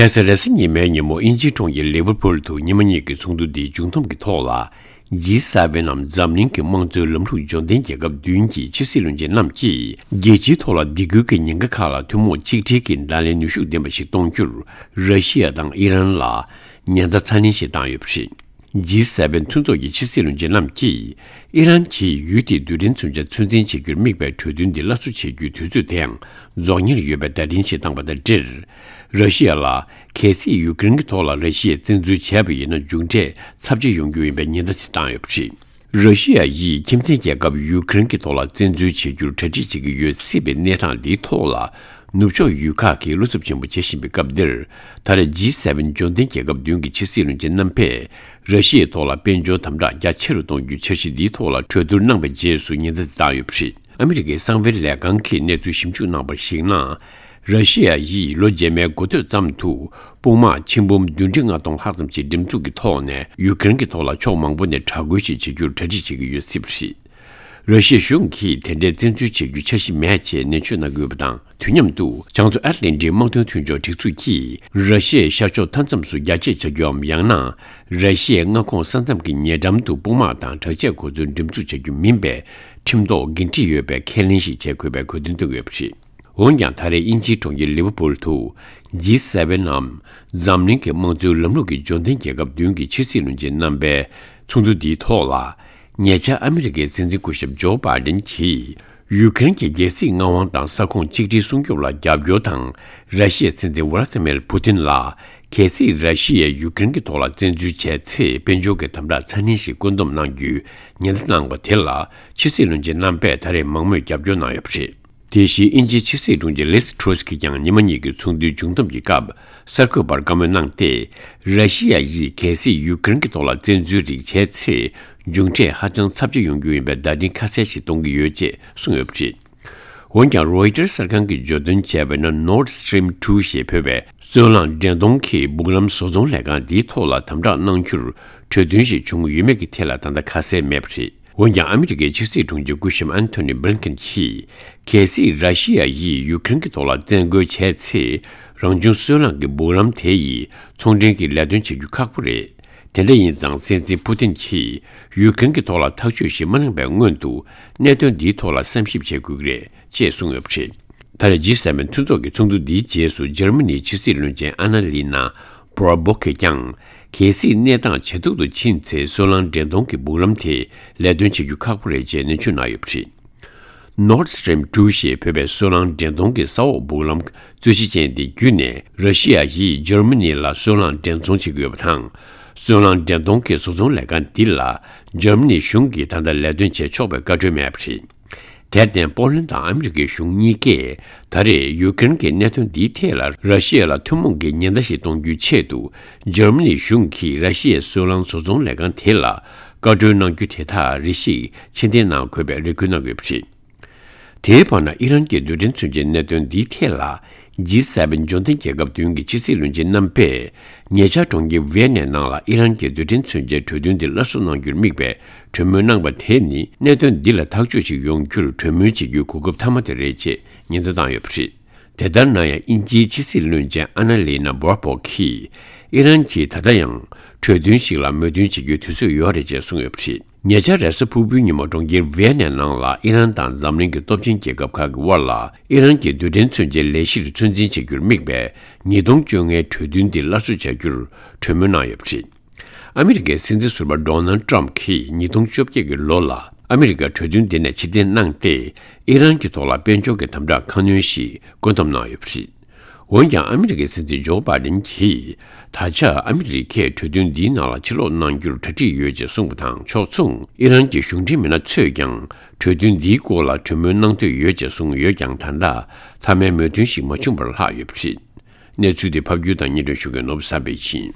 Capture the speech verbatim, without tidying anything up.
ཁ་སང་རེས་གཟའ་ཉི་མའི་ཉིན་མོ་དབྱིན་ཇིའི་གྲོང་ཁྱེར་ལི་ཝར་ཕུལ་དུ་ཉི་མ་གཉིས་ཀྱི་ཚོགས་འདུ་འདིའི་མཇུག་བསྡོམས་ཀྱི་ཐོག་ལ། ཇི་སེ་ཝེན་ནམ་འཛམ་གླིང་གི་དམངས་གཙོའི་ལམ་ལུགས་འབྱོར་ལྡན་རྒྱལ་ཁབ་བདུན་གྱི་ཕྱི་སྲིད་བློན་ཆེན་རྣམས་ཀྱིས་རྒྱལ་སྤྱིའི་ཐོག་ལ་སྡིགས་སྐུལ་གྱི་ཉེན་ཁ་ཁག་ལ་ཐུན་མོང་གཅིག་སྒྲིལ་གྱི་བརྡ་ལན་ནུས་ཤུགས་ལྡན་པ་ཞིག་གཏོང་རྒྱུར་ར་ཤི་ཡ་དང་ཨི་རན་ལ་ཉེན་བརྡ་ཚ་ནན་ཞིག་བཏང་ཡོད་པ་རེད། ཇི་སེ་ཝེན་མཐུན་ཚོགས་ཀྱི་ཕྱི་སྲིད་བློན་ཆེན་རྣམས་ཀྱིས་ཨི་རན་གྱིས་ཡུལ་དེའི་རྡུལ་ཕྲན་མཚོན་ཆ་ཚོད་འཛིན་བྱེད་རྒྱུར་དམིགས་པའི་གྲོས་མཐུན་འདི་སླར་གསོ་བྱེད་རྒྱུའི་དུས་ཚོད་དེའང་རྫོགས་ཉེར་ཡོད་པའི་བརྡ་འཕྲིན་ཞིག་བཏང་བ་དང་འབྲེལ། ར་ཤི་ཡ་ལ་གལ་སྲིད་ཡུ་ཀེ་རེན་གྱི་ཐོག་ལ་ར་ཤི་ཡས་བཙན་འཛུལ་བྱས་པ་ཡིན་ན་མཇུག་འབྲས་ཚབས་ཆེ་ཡོང་རྒྱུ་ཡིན་པའི་ཉེན་བརྡ་དེ་བཏང་ཡོད་པ་རེད། ར་ཤི་ཡ་ཡིས་ཁྱིམ་མཚེས་རྒྱལ་ཁབ་ཡུ་ཀེ་རེན་གྱི་ཐོག་ལ་བཙན་འཛུལ་བྱེད་རྒྱུར་གྲ་སྒྲིག་བྱེད་ཀྱི་ཡོད་སྲིད་པའི་གནས་སྟངས་འདིའི་ཐོག་ལ། ནུབ་ཕྱོགས་ཡུལ་ཁག་གིས་བློ་འཚབ་ཆེན་པོ་བྱེད་བཞིན་པའི་སྐབས་འདིར། ད་རེས་ཇི་སེ་ཝེན་འབྱོར་ལྡན་རྒྱལ་ཁབ་བདུན་གྱི་ཕྱི་སྲིད་བློན་ཆེན་རྣམ་པས་ར་ཤི་ཡའི་ཐོག་ལ་དཔལ་འབྱོར་དམ་དྲག་རྒྱ་ཆེ་རུ་གཏོང་རྒྱུའི་འཆར་གཞི་འདིའི་ཐོག་ལ་གྲོས་བསྡུར་གནང་བའི་རྗེས་སུ་ཉེན་བརྡ་དེ་བཏང་ཡོད་པ་རེད། ཨ་མི་རི་ཀའི་གསང་བའི་ལས་ཁང་གིས་གནས་ཚུལ་ཞིབ་འཇུག་གནང་བར་གཞིགས་ན། ར་ཤི་ཡ་ཡིས་ལོ་རྗེས་མའི་འགོ་སྟོད་ཙམ་དུ་དཔུང་དམག་ཆིག་འབུམ་བདུན་ཁྲི་ལྔ་སྟོང་ལྷག་ཙམ་ཞིག་འགྲེམས་འཛུགས་ཀྱི་ཐོག་ནས་ཡུ་ཀེ་རེན་གྱི་ཐོག་ལ་ཕྱོགས་མང་པོ་ནས་དྲག་རྒོལ་ཞིག་བྱེད་རྒྱུར་གྲ་སྒྲིག་བྱེད་ཀྱི་ཡོད་སྲིད་པ་རེད། ར་ཤི་ཡའི་གཞུང་གིས་དེ་འདྲའི་བཙན་འཛུལ་བྱེད་རྒྱུ་འཆར་གཞི་མེད་ཅེས་ནན་བརྗོད་གནང་གི་ཡོད་པ་དང་། དུས་མཉམ་དུ་བྱང་མཚོ་ཨེཊ་ལན་ཊིག་དམག་དོན་མཐུན་ཕྱོགས་སྒྲིག་འཛུགས་ཀྱིས་ར་ཤི་ཡའི་ཤར་ཕྱོགས་མཐའ་མཚམས་སུ་རྒྱ་སྐྱེད་བྱ་རྒྱུའམ་ཡང་ན་ར་ཤི་ཡའི་མངའ་ཁོངས་ས་མཚམས་ཀྱི་ཉེ་འགྲམ་དུ་དཔུང་དམག་དང་དྲག་ཆས་གོ་མཚོན་འགྲེམས་འཛུགས་བྱ་རྒྱུ་མིན་པའི་ཁྲིམས་ཐོག་འགན་འཁྲི་ཡོད་པའི་ཁས་ལེན་ཞིག་བྱེད་དགོས་པའི་དགོས་འདུན་བཏོན་ཡོད་པ་རེད། འོན་ཀྱང་ད་རེས་དབྱིན་ཇིའི་གྲོང་ཁྱེར་ལི་ཝར་ཕུལ་དུ་ཇི་སེ་ཝེན་ནམ་འཛམ་གླིང་གི་དམངས་གཙོའི་ལམ་ལུགས་ཀྱི་འབྱོར་ལྡན་རྒྱལ་ཁབ་བདུན་གྱི་ཕྱི་སྲིད་བློན་ཆེན་རྣམ་པའི་ཚོགས་འདུ་འདིའི་ཐོག་ལ། ཉེ་ཆར་ཨ་མི་རི་ཀའི་སྲིད་འཛིན་སྐུ་ཞབས་ཇོ་བྷའི་ཌེན་གྱིས་ཡུ་ཀེ་རེན་གྱི་རྒྱལ་སྲིད་མངའ་དབང་དང་ས་ཁོངས་གཅིག་སྒྲིལ་སྲུང་སྐྱོབ་ལ་རྒྱབ་སྐྱོར་དང་། ར་ཤི་ཡའི་སྲིད་འཛིན་ཝ་ལ་ཏི་མིར་ཕུ་ཏིན་ལ་གལ་སྲིད་ར་ཤི་ཡས་ཡུ་ཀེ་རེན་གྱི་ཐོག་ལ་བཙན་འཛུལ་བྱས་ཚེ་དཔལ་འབྱོར་གྱི་དམ་དྲག་ཚ་ནན་ཞིག་བཀོད་འདོམས་གནང་རྒྱུའི་ཉེན་བརྡ་གནང་བ་དེ་ལ་ཕྱི་སྲིད་བློན་ཆེན་རྣམ་པས་ད་རེས་མང་མོས་རྒྱབ་སྐྱོར་གནང་ཡོད་པ་རེད། དེ་བཞིན་དབྱིན་ཇིའི་ཕྱི་སྲིད་དྲུང་ཆེ་ལིས་ཊྲུས་ཀྱིས་ཀྱང་ཉི་མ་གཉིས་ཀྱི་ཚོགས་འདུའི་མཇུག་བསྡོམས་ཀྱི་སྐབས་གསར་འགོད་པར་བཀའ་མོལ་གནང་སྟེ། ར་ཤི་ཡ་ཡིས་གལ་སྲིད་ཡུ་ཀེ་རེན་གྱི་ཐོག་ལ་བཙན་འཛུལ་རིགས་བྱས་ཚེ་མཇུག་འབྲས་ཧ་ཅང་ཚབས་ཆེ་ཡོང་རྒྱུ་ཡིན་པའི་བརྡ་འཕྲིན་ཁ་གསལ་ཞིག་གཏོང་གི་ཡོད་ཅེས་གསུངས་ཡོད་པ་རེད། འོན་ཀྱང་རོའི་ཊར་གསར་ཁང་གིས་བརྗོད་དོན་བྱས་པ་ཡིན་ན། Nord Stream two ཞེས་འབོད་པའི་སོལ་རླངས་འདྲེན་གཏོང་གི་སྦུག་ལམ་བཟོ་ཚོང་ལས་ཁང་འདིའི་ཐོག་ལ་དམ་དྲག་གནང་རྒྱུར་གྲོས་མཐུན་ཞིག་བྱུང་ཡོད་མེད་ཀྱི་ཐད་ལ་ད་ལྟ་ཁ་གསལ་མེད་པ་རེད། འོན་ཀྱང་ཨ་མི་རི་ཀའི་ཕྱི་སྲིད་དྲུང་ཆེ་སྐུ་ཞབས་ཨན་ཐོ་ནི་བྷི་ལིན་ཀེན་གྱིས། གལ་སྲིད་ར་ཤི་ཡ་ཡིས་ཡུ་ཀེ་རེན་གྱི་ཐོག་ལ་བཙན་རྒོལ་བྱས་ཚེ། རང་བྱུང་སོལ་རླངས་ཀྱི་སྦུག་ལམ་དེ་ཡིས་ཚོང་འབྲེལ་གྱི་ལས་དོན་བྱེད་རྒྱུ་ཁག་པོ་རེད། དེ་འདྲ་ཡིན་ཙང་སྲིད་འཛིན་ཕུ་ཏིན་གྱིས་ཡུ་ཀེ་རེན་གྱི་ཐོག་ལ་ཐག་གཅོད་ཞིག་མ་གནང་བའི་སྔོན་དུ་གནད་དོན་འདིའི་ཐོག་ལ་བསམ་ཞིབ་བྱེད་དགོས་ཀྱི་རེད་ཅེས་གསུངས་ཡོད་པ་རེད། ད་རེས་ཇི་སེ་ཝེན་མཐུན་ཚོགས་ཀྱི་ཚོགས་འདུ་འདིའི་རྗེས་སུ་འཇར་མ་ནིའི་ཕྱི་སྲིད་བློན་ཆེན་ཨ་ན་ལི་ན་བྷོར་སྦོག་གིས་ཀྱང་། གལ་སྲིད་གནས་སྟངས་ཇེ་སྡུག་ཏུ་ཕྱིན་ཚེ་སོལ་རླངས་འདྲེན་གཏོང་གི་སྦུག་ལམ་དེ་ལས་དོན་བྱེད་རྒྱུ་ཁག་པོ་རེད་ཅེས་ནན་བརྗོད་གནང་ཡོད་པ་རེད། Nord Stream two ཞེས་འབོད་པའི་སོལ་རླངས་འདྲེན་གཏོང་གི་ས་འོག་སྦུག་ལམ་རྩོད་གཞི་ཅན་དེ་བརྒྱུད་ནས་ར་ཤི་ཡ་ཡིས་འཇར་མ་ནི་ལ་སོལ་རླངས་འདྲེན་འཚོང་བྱེད་ཀྱི་ཡོད་པ་དང་། སོལ་རླངས་འདྲེན་གཏོང་གི་བཟོ་ཚོང་ལས་ཁང་འདི་ལ་འཇར་མ་ནི་གཞུང་གིས་ད་ལྟ་ལས་དོན་བྱེད་ཆོག་པའི་བཀའ་འཁྲོལ་མེད་པ་རེད། དེར་བརྟེན་པོ་ལན་དང་ཨ་མི་རི་ཀའི་གཞུང་གཉིས་ཀས་ད་རེས་ཡུ་ཀེ་རེན་གྱི་གནད་དོན་འདིའི་ཐད་ལ་ར་ཤི་ཡ་ལ་ཐུན་མོང་གི་ཉེན་བརྡ་ཞིག་གཏོང་རྒྱུའི་ཆེད་དུ་འཇར་མ་ནི་གཞུང་གིས་ར་ཤི་ཡའི་སོལ་རླངས་བཟོ་ཚོང་ལས་ཁང་དེ་ལ་བཀའ་འཁྲོལ་གནང་རྒྱུ་དེ་དག་རེ་ཞིག་ཕྱིར་འཐེན་གནང་དགོས་པའི་རེ་སྐུལ་གནང་ཡོད་པ་རེད། དེའི་བར་ན་ཨི་རན་གྱི་རྡུལ་ཕྲན་མཚོན་ཆའི་གནད་དོན་འདིའི་ཐད་ལ་ཇི་སེ་ཝེན་འབྱོར་ལྡན་རྒྱལ་ཁབ་བདུན་གྱི་ཕྱི་སྲིད་བློན་ཆེན་རྣམ་པས་ཉེ་ཆར་གྲོང་ཁྱེར་ཝི་ཡེ་ནའི་ནང་ལ་ཨི་རན་གྱི་རྡུལ་ཕྲན་མཚོན་ཆའི་གྲོས་མཐུན་འདི་སླར་གསོ་གནང་རྒྱུར་དམིགས་པའི་གྲོས་མོལ་གནང་བ་དེ་ནི་གནད་དོན་འདི་ལ་ཐག་གཅོད་ཅིག་ཡོང་རྒྱུར་གྲོས་མོལ་བྱེད་རྒྱུའི་གོ་སྐབས་མཐའ་མ་དེ་རེད་ཅེས་ཉེན་བརྡ་བཏང་ཡོད་པ་རེད། དེ་ལྟར་ན་ཡང་དབྱིན་ཇིའི་ཕྱི་སྲིད་བློན་ཆེན་ཨ་ན་ལི་ན་བྷོར་པོག་གིས་ཨི་རན་གྱིས་ད་ལྟ་ཡང་གྲོས་མཐུན་ཞིག་ལ་མོས་མཐུན་བྱེད་རྒྱུའི་དུས་ཚོད་ཡོད་རེད་ཅེས་གསུངས་ཡོད་པ་རེད། ཉེ་ཆར་རེས་གཟའ་ཕུར་བུའི་ཉིན་མོ་གྲོང་ཁྱེར་ཝི་ཡེ་ནའི་ནང་ལ་ཨི་རན་དང་འཛམ་གླིང་གི་སྟོབས་ཆེན་རྒྱལ་ཁབ་ཁག་གི་དབར་ལ་ཨི་རན་གྱི་རྡུལ་ཕྲན་མཚོན་ཆའི་ལས་གཞིར་ཚོད་འཛིན་བྱེད་རྒྱུར་དམིགས་པའི་ཉིས་སྟོང་བཅོ་ལྔའི་གྲོས་མཐུན་འདི་སླར་གསོ་བྱ་རྒྱུར་གྲོས་མོལ་གནང་ཡོད་པ་རེད། ཨ་མི་རི་ཀའི་སྲིད་འཛིན་ཟུར་པ་ཌོ་ནལ་ཊམ་གྱིས་ཉིས་སྟོང་བཅོ་བརྒྱད་ཀྱི་ལོ་ལ་ཨ་མི་རི་ཀར་གྲོས་མཐུན་འདི་ནས་ཕྱིར་འཐེན་གནང་སྟེ། ཨི་རན་གྱི་ཐོག་ལ་དཔལ་འབྱོར་གྱི་དམ་དྲག་ཁ་སྣོན་ཞིག་བཀོད་འདོམས་གནང་ཡོད་པ་རེད། འོན་ཀྱང་ཨ་མི་རི་ཀའི་སྲིད་འཛིན་ཇོ་བྷའི་ཌེན་གྱིས་ད་ཆ་ཨ་མི་རི་ཀས་གྲོས་མཐུན་འདིའི་ནང་ལ་ཕྱིར་ལོག་གནང་རྒྱུར་གྲ་སྒྲིག་ཡོད་ཅེས་གསུངས་པ་དང་ཕྱོགས་མཚུངས་ཨི་རན་གྱི་གཞུང་འབྲེལ་མི་སྣ་ཚོས་ཀྱང་གྲོས་མཐུན་འདིའི་སྐོར་ལ་གྲོས་མོལ་གནང་འདོད་ཡོད་ཅེས་གསུངས་ཡོད་ཀྱང་ད་ལྟ་མཐའ་མའི་མོས་མཐུན་ཞིག་མ་བྱུང་བར་ལྷག་ཡོད་པ་རེད། གནས་ཚུལ་དེ་ཕབ་སྒྱུར་དང་སྙན་སྒྲོན་ཞུ་མཁན་ནོར་བུ་བསམ་འཕེལ་ཡིན།